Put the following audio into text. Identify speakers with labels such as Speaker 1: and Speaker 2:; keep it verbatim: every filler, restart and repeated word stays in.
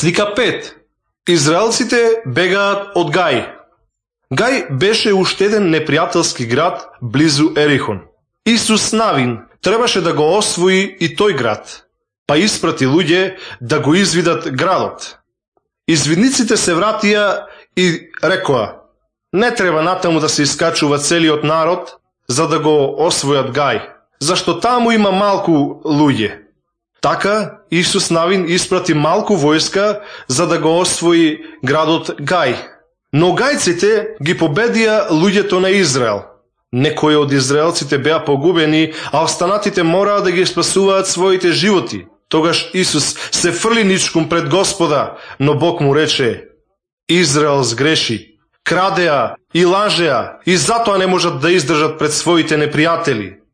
Speaker 1: Слика пет. Израелците бегаат од Гај. Гај беше уште еден непријателски град близу Ерихон. Исус Навин требаше да го освои и тој град, па испрати луѓе да го извидат градот. Извидниците се вратија и рекоа: не треба натаму да се искачува целиот народ за да го освојат Гај, зашто таму има малку луѓе. Така Исус Навин испрати малку војска за да го освои градот Гај. Но гајците ги победија луѓето на Израел. Некои од израелците беа погубени, а останатите мораа да ги спасуваат своите животи. Тогаш Исус се фрли ничком пред Господа, но Бог му рече: Израел сгреши, крадеа и лажеа и затоа не можат да издржат пред своите непријатели.